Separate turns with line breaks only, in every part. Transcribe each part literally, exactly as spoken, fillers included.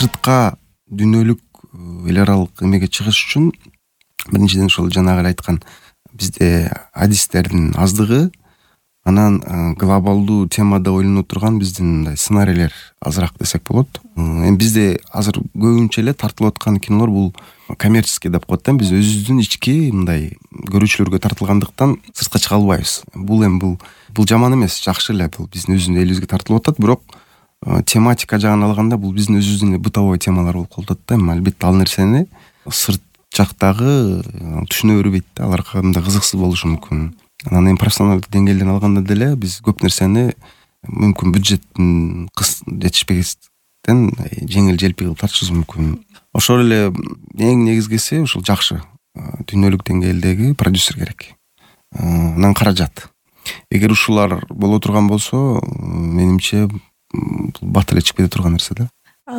сыртка дүйнөлүк эл аралык эмеге чыгыш үчүн биринчиден ошол жанагы эле айткан бизде адистердин аздыгы, анан глобалдуу темада ойлоно турган биздин мындай сценарийлер азыраак десек болот. Эми бизде азыр көбүнчө эле тартылып аткан кинолор бул коммерческий деп коет да. Биз өзүбүздүн ички мындай көрүүчүлөргө тартылгандыктан сыртка чыга албайбыз. Бул эми бул бул жаман эмес, жакшы эле. Бул биздин өзүбүздүн элибизге тартылып атат, бирок тематика жагын алганда бул биздин өзүбүздүн бытовой темалар болуп калып атат да. Эми албетте ал нерсени сырт жактагы түшүнө бербейт да. Алар кандай кызыксыз болушу мүмкүн. Анан эми профессионалдык деңгээлден алганда деле биз көп нерсени мүмкүн бюджеттин жетишпегендиктен жеңил желпи кылып тартышыбыз мүмкүн. Ошол эле эң негизгиси ушул жакшы дүйнөлүк деңгээлдеги продюсер керек. Анан каражат. Эгер ушулар боло турган болсо, менимче бул бат эле чыгып кете турган нерсе да.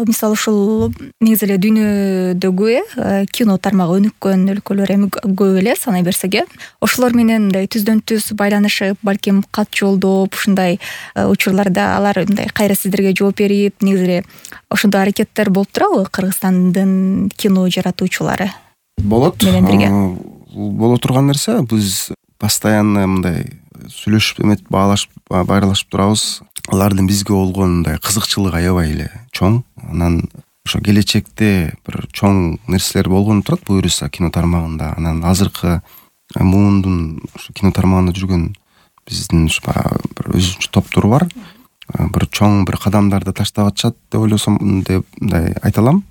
Мисалы ушул негизи эле дүйнөдөгү э кино тармагы өнүккөн өлкөлөр эми көп эле санай берсек э. Ошолор менен мындай түздөн түз байланышып, балким кат жолдоп, ушундай учурларда алар мындай кайра сиздерге жооп берип, негизи эле ошондой аракеттер болуп турабы Кыргызстандын кино жаратуучулары?
Болот.
Менен бирге.
Боло турган нерсе. Биз постоянно мындай сүйлөшүп, эметип, баалашып, байырлашып турабыз. Алардын бизге болгон мындай кызыкчылыгы аябай эле чоң. Анан ошо келечекте бир чоң нерселер болгону турат буюрса кино тармагында. Анан азыркы муундун ошо кино тармагында жүргөн биздин бир өзүнчө топтор бар. Бир чоң бир кадамдарды таштап атышат деп ойлосом, деп мындай айта алам.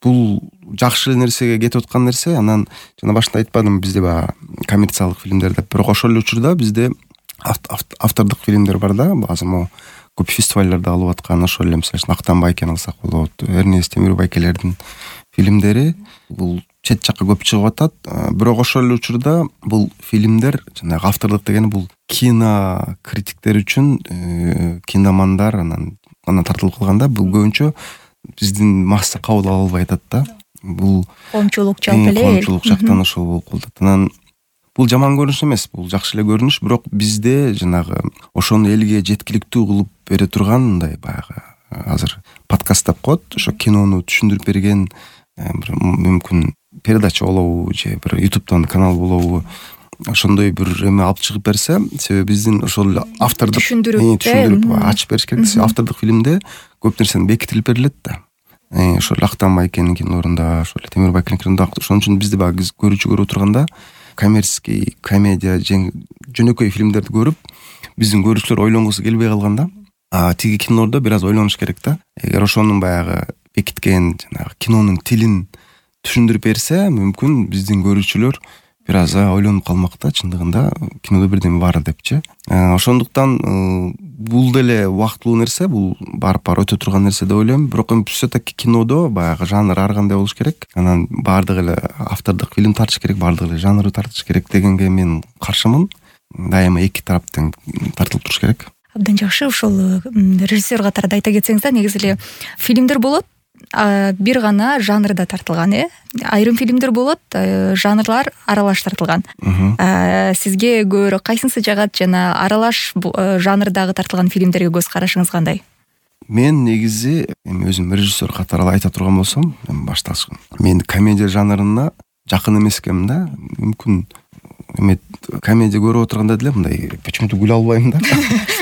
Бул жакшы нерсеге кетип аткан нерсе. Анан жана башында айтпадым, бизде баягы коммерциялык фильмдер деп. Бирок ошол эле учурда бизде автордук фильмдер бар да. Азыр могу көп фестиваллерде алып аткан, ошол эле мисалы үчүн Актан Байкени алсак болот. Эрнест Темирбайкелердин фильмдери бул чет жакка көп чыгып атат. Бирок ошол эле учурда бул фильмдер, жанагы автордук дегени бул кино критиктер үчүн, киномандар анан анан тартылып калганда бул көбүнчө биздин масса кабыл ала албай атат да. Бул
коомчулук жалпы эле
коомчулук жактан ошол болуп калат. Анан бул жаман көрүнүш эмес, бул жакшы эле көрүнүш, бирок бизде жанагы ошону элге жеткиликтүү кылып бере турган мындай баягы азыр подкаст деп коет, ошо кинону түшүндүрүп берген бир мүмкүн передача болобу же бир ютубтан канал болобу, ошондой бир эме алып чыгып берсе, себеби биздин ошол автордук
түшүндүрүп
түшүндүрүп ачып бериш керек. Автордук фильмде көп нерсени бекитилип берилет да. Ошол Актан Байкенин кинолорунда, ошол Темирбайкенин кинолорунда. Ошон үчүн бизде баягы көрүүчү көрүп отурганда коммерческий комедия, жөнөкөй фильмдерди көрүп, биздин көрүүчүлөр ойлонгусу келбей калганда, а тиги кинолордо бир аз ойлонуш керек да. Эгер ошонун баягы бекиткен жанагы кинонун тилин түшүндүрүп берсе, мүмкүн биздин көрүүчүлөр бир аз ойлонуп калмак да, чындыгында кинодо бирдеме бар депчи. Ошондуктан бул деле убактылуу нерсе, бул барып-барып өтө турган нерсе деп ойлойм. Бирок эми все-таки кинодо баягы жанр ар кандай болуш керек. Анан баардыгы эле автордук фильм тартыш керек, баардыгы эле жанры тартыш керек дегенге мен каршымын. Дайыма эки тараптан тартылып туруш керек.
Абдан жакшы. Ошол режиссер катарында айта кетсеңиз да, негизи эле фильмдер болот, бир гана жанрда тартылган, э. Айрым фильмдер болот, жанрлар аралаш тартылган. Сизге көбүрөөк кайсынысы жагат жана аралаш жанрдагы тартылган фильмдерге көз карашыңыз кандай?
Мен негизи эми өзүм режиссер катары айта турган болсом, башталыш мен комедия жанрына жакын эмес экенмин да. Мүмкүн эме комедия көрүп отурганда деле мындай почему-то күлө албайм да.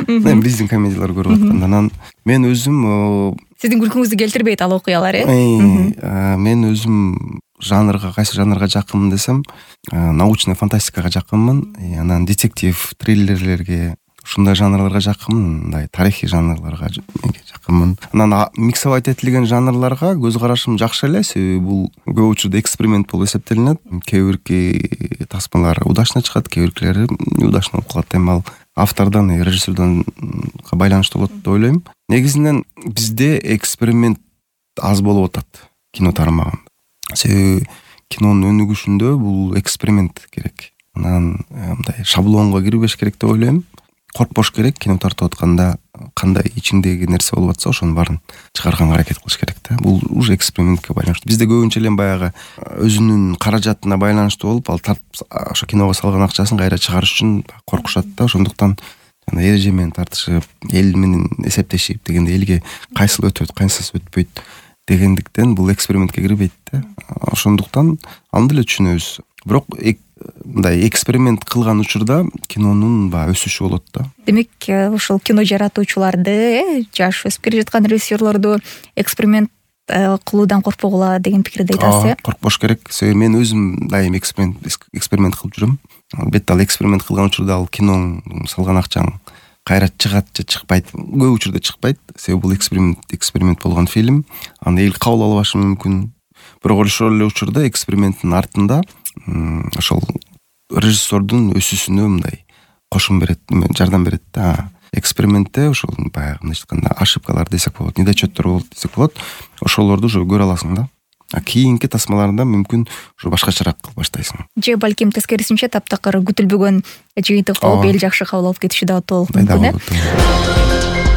Мен биздин комедиялар көрүп атканда, анан мен өзүм
сиздин күлкүңүздү келтирбейт ал окуялар, э?
Мен өзүм жанрга, кайсы жанрга жакынмын десем, научная фантастикага жакынмын, анан детектив, триллерлерге, ушундай жанрларга жакынмын, мындай тарыхый жанрларга жакынмын. Анан миксовать этилген жанрларга көз карашым жакшы эле, себеби бул көп учурда эксперимент болуп эсептелинет. Кээ бирки тасмалар удачно чыгат, кээ биркилери неудачно болуп калат. Эми ал автордон, режиссердон байланыштуу болот деп ойлойм. Негизинен бизде эксперимент аз болуп атат кино тармагында. Себеби кинонун өнүгүшүндө бул эксперимент керек. Анан мындай шаблонго кирбеш керек деп ойлойм. Коркпош керек, кино тартып атканда кандай ичиңдеги нерсе болуп атса, ошонун баарын чыгарганга аракет кылыш керек да. Бул уже экспериментке байланыштуу. Бизде көбүнчө эле баягы өзүнүн каражатына байланыштуу болуп, ал тартып ошо киного салган акчасын кайра чыгарыш үчүн коркушат да. Ошондуктан жана эреже менен тартышып, эл менен эсептешип дегенде элге кайсыл өтөт, кайсысы өтпөйт. дегендиктен бул экспериментке кирбейт да. Ошондуктан аны деле түшүнөбүз. Бирок мындай эксперимент кылган учурда кинонун баягы өсүшү болот да.
Демек ошол кино жаратуучуларды, жаш өсүп келе жаткан режиссерлорду эксперимент кылуудан коркпогула деген пикирде айтасыз э?
Коркпош керек. Себеби мен өзүм дайым эксперимент эксперимент кылып жүрөм. Албетте ал эксперимент кылган учурда ал киноң салган акчаң кайра чыгат же чыкпайт, көп учурда чыкпайт. Себеби бул эксперимент эксперимент болгон фильм, аны эл кабыл албашы мүмкүн. Бирок ошол эле учурда эксперименттин артында ошол режиссердун өсүүсүнө мындай кошум берет, жардам берет да. Экспериментте ошол баягы мындайча айтканда ошибкалар десек болот, недочеттор болот десек болот. Ошолорду уже көрө аласың да. А кийинки тасмаларында мүмкүн ушу башкачараак кылып баштайсың.
Же балким тескерисинче таптакыр күтүлбөгөн жыйынтык болуп эл жакшы кабыл алып кетиши да болуп мүмкүн э.